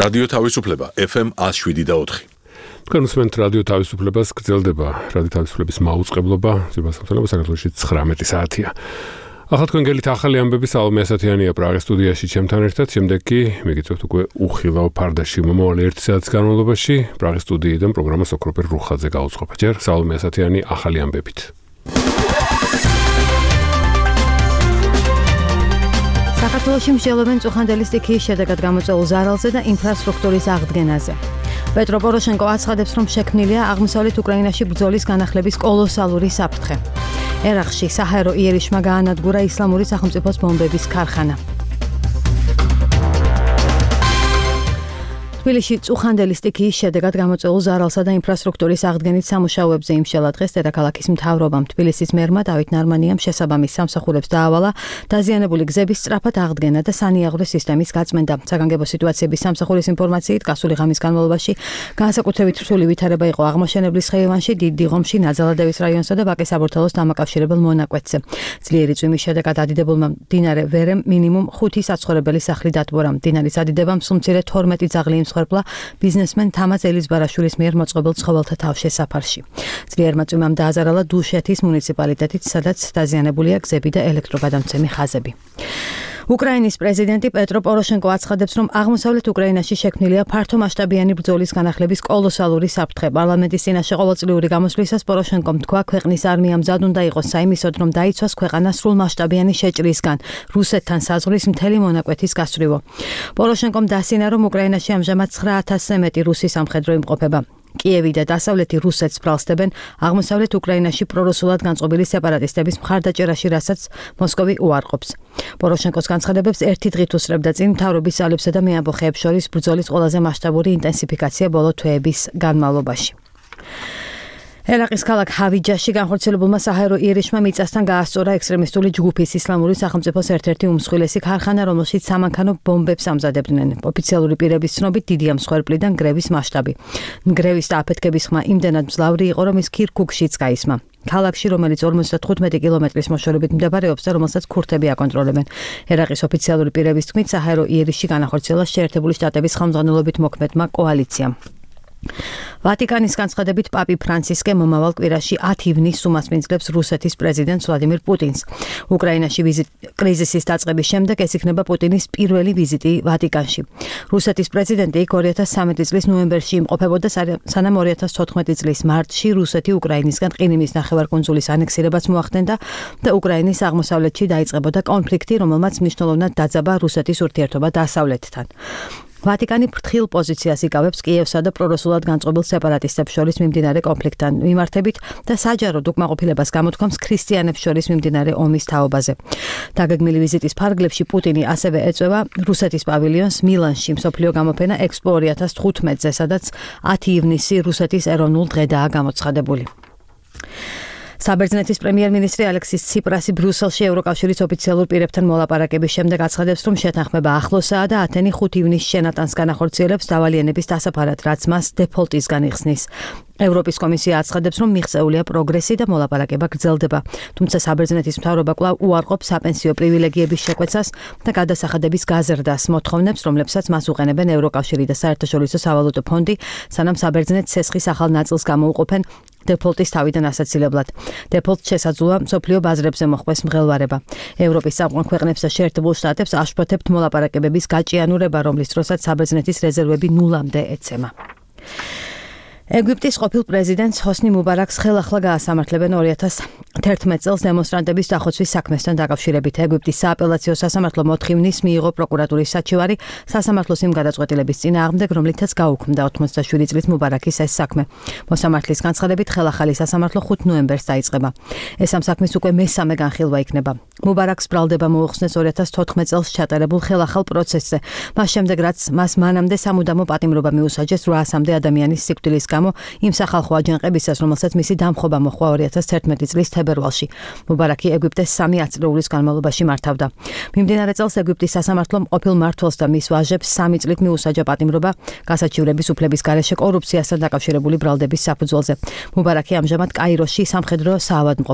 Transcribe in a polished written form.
რადიო თავისუფლება FM 107.4. თქვენ უსმენთ რადიო თავისუფლებას, გრძელდება რადიო თავისუფლების მაუწყებლობა, ძირფასობრივად საქართველოში 19 საათია. ახლა თქვენ გელით ახალი ამბები სალომე ასათიანია პრაღის სტუდიაში ჩემთან ერთად, შემდეგ კი მიგიწევთ უკვე უხილავ ფარდაში მომავალი 1 საათის განმავლობაში პრაღის სტუდიიდან პროგრამას ოქროპერ რუხაძე გაუძღობა. ჯერ სალომე ასათიანი ახალი ამბებით. საქართველოში მსჯელობენ წუხანდელი სტიქიის შედეგად გამოწვეულ ზარალზე და ინფრასტრუქტურის აღდგენაზე. პეტრო პოროშენკო აცხადებს, რომ შექმნილია აღმოსავლეთ უკრაინაში ბრძოლის განახლების კოლოსალური საფრთხე. ერახში საჰაერო იერიშმა გაანადგურა ისლამური სახელმწიფოს ბომბების ქარხანა. თბილისში წუხანდელი სტიქიის შედეგად გამოწვეულ ზარალსა და ინფრასტრუქტურის აღდგენით სამუშაოებზე იმშელა დღეს დედაქალაქის მთავრობამ. თბილისის მერმა დავით ნარმანიამ შესაბამის სამსახურებს დაავალა დაზიანებული გზების სწრაფად აღდგენა და სანიაღვრე სისტემის გაწმენდა. საგანგებო სიტუაციების სამსახურის ინფორმაციით, გასული ღამის განმავლობაში განსაკუთრებით რთული ვითარება იყო აღმაშენებლის ხეივანში, დიდ დიღომში, ნაძალადევის რაიონსა და ბაკის საბურთალოს დამაკავშირებელ მონაკვეთზე. ძლიერი წვიმის შედეგად ადიდებულმა მდინარე ვერემ მინიმუმ 5 საცხოვრებელი სახლი დატბორა. მდინარის ადიდებამ სულ მცირე 12 ძაღლი მსხვერპლა ბიზნესმენ თამაზ ელიზბარაშვილის მიერ მოწყობილ ცხოველთა თავშესაფარში. ძლიერმა წვიმამ დააზარალა დუშეთის მუნიციპალიტეტით, სადაც დაზიანებულია გზები და ელექტროგადამცემი ხაზები. უკრაინის პრეზიდენტი პეტრო პოროშენკო აცხადებს, რომ აღმოსავლეთ უკრაინაში შექმნილია ფართომასშტაბიანი ბრძოლის განახლების კოლოსალური საფრთხე. პარლამენტის წინაშე ყოველწლიური გამოსვლისას პოროშენკომ თქვა, ქვეყნის არმია მზად უნდა იყოს საიმისოდ, რომ დაიცვას ქვეყანა სრულმასშტაბიანი შეჭრისგან, რუსეთთან საზღვრის მთელი მონაკვეთის გასწვრივო. პოროშენკომ დასინა, რომ უკრაინაში ამჟამად 9,000-ზე მეტი რუსი სამხედრო იმყოფება. კიევი და დასავლეთი რუსეთს ბრალსდებენ აღმოსავლეთ უკრაინაში პრორუსულად განწყობილი სეპარატისტების მხარდაჭერაში, რასაც მოსკოვი უარყოფს. პოროშენკოს განცხადებებს ერთი დღით უსწრებდა წინ მთავრობის ძალებსა და მეამბოხეებს შორის ბრძოლის ყველაზე მასშტაბური ინტენსიფიკაცია ბოლო თვეების განმავლობაში. ერაყის ქალაქ ჰავიჯაში განხორციელებულმა საჰაერო იერიშმა მიწასთან გაასწორა ექსტრემისტული ჯგუფის ისლამური სახელმწიფოს ერთ-ერთი უმსხვილესი ქარხანა, რომელშიც სამანქანო ბომბებს ამზადებდნენ. ოფიციალური პირების ცნობით დიდია მსხვერპლიდან გრევის მასშტაბი. გრევის და აფეთქების ხმა იმდენად მძლავრი იყო, რომ ის ქირქუქშიც გაისმა. ქალაქში, რომელიც 55 კილომეტრის მოშორებით მდებარეობს და რომელსაც ქურთები აკონტროლებენ. ერაყის ოფიციალური პირების თქმით, საჰაერო იერიში განახორციელა შეერთებული შტატების ხელმძღვანელობით მოქმედმა კოალიციამ. ვატიკანის განცხადებით, პაპი ფრანცისკე მომავალ კვირაში 10 ივნისს უმასპინძლებს რუსეთის პრეზიდენტს ვლადიმირ პუტინს. უკრაინაში კრიზისის დაწყების შემდეგ ეს იქნება პუტინის პირველი ვიზიტი ვატიკანში. რუსეთის პრეზიდენტი 2013 წლის ნოემბერში იმყოფებოდა, სანამ 2014 წლის მარტში რუსეთი უკრაინისგან ყირიმის ნახევარკუნძულის ანექსირებას მოახდენდა და უკრაინის აღმოსავლეთში დაიწყებოდა კონფლიქტი, რომელმაც მნიშვნელოვნად დაძაბა რუსეთის ურთიერთობა დასავლეთთან. ვატიკანი ფრთხილ პოზიციას იკავებს კიევსა და პრორუსულად განწყობილ სეპარატისტებს შორის მიმდინარე კონფლიქტთან მიმართებით და საჯაროდ უკმაყოფილებას გამოთქვამს ქრისტიანებს შორის მიმდინარე ომის თაობაზე. დაგეგმილი ვიზიტის ფარგლებში პუტინი ასევე ეწევა რუსეთის პავილიონს მილანში, მსოფლიო გამოფენა ექსპო 2015-ზე, სადაც 10 ივნისი რუსეთის ეროვნულ დღედაა გამოცხადებული. საბერძნეთის პრემიერ-მინისტრი ალექსის ციპრასი ბრიუსელში ევროკავშირის ოფიციალურ პირებთან მოლაპარაკების შემდეგ აცხადებს, რომ შეთანხმება ახლოსაა და ათენი 5 ივნისს შენატანს განახორციელებს დავალიანების დასაფარად, რაც მას დეფოლტისგან იხსნის. ევროპის კომისია აცხადებს, რომ მიღწეულია პროგრესი და მოლაპარაკება გრძელდება. თუმცა საბერძნეთის მთავრობა კვლავ უარყოფს საპენსიო პრივილეგიების შეკვეცას და გადასახადების გაზრდას, მოთხოვნებს, რომლებსაც მას უყენებენ ევროკავშირი და საერთაშორისო სავალუტო ფონდი, სანამ საბერძნეთს ცესხის ახალ ნაწილს გამოუყოფენ დეფოლტის თავიდან ასაცილებლად. დეფოლტს შესაძლოა მსოფლიო ბაზრებზე მოხვდეს მღელვარება. ევროპის წამყვან ქვეყნებს და შეერთებულ შტატებს აშფოთებთ მოლაპარაკებების გაჭიანურება, რომლის დროსაც საბერძნეთის რეზერვები ნულამდე ეცემა. ეგვიპტის ყოფილ პრეზიდენტს ჰოსნი მუბარაკს ხელახლა გაასამართლებენ 2011 წელს დემონსტრანტების დახოცვის საქმესთან დაკავშირებით. ეგვიპტის სააპელაციო სასამართლო მოთხოვნით მიიღო პროკურატურის საჩივარი სასამართლოს იმ გადაწყვეტილების წინააღმდეგ, რომლითაც გაუქმდა 87 წლის მუბარაკის ეს საქმე. მოსამართლის განცხადებით, ხელახალი სასამართლო 5 ნოემბერს დაიწყება. ეს ამ საქმის უკვე მესამე განხილვა იქნება. მუბარაკს ბრალდება მოუხსნეს 2014 წელს ჩატარებულ ხელახალ პროცესზე. მას შემდეგ, რაც მას მანამდე სამუდამო პატიმრობა მიუსაჯეს 800-მდე ადამიანის სიკვდილის გამო იმ სახალხო აჯანყებისას, რომელსაც მისი დამხობა მოჰყვა 2011 წლის თებერვალში. მუბარაკი ეგვიპტეს 3 ათწლეულის განმავლობაში მართავდა. მიმდინარე წელს ეგვიპტის სასამართლომ ყოფილ მმართველს და მის ვაჟებს 3 წლით მიუსაჯა პატიმრობა გასაჩივრების უფლების გარეშე კორუფციასთან დაკავშირებული ბრალდების საფუძველზე. მუბარაკი ამჟამად კაიროში სამხედრო საავადმყოფოში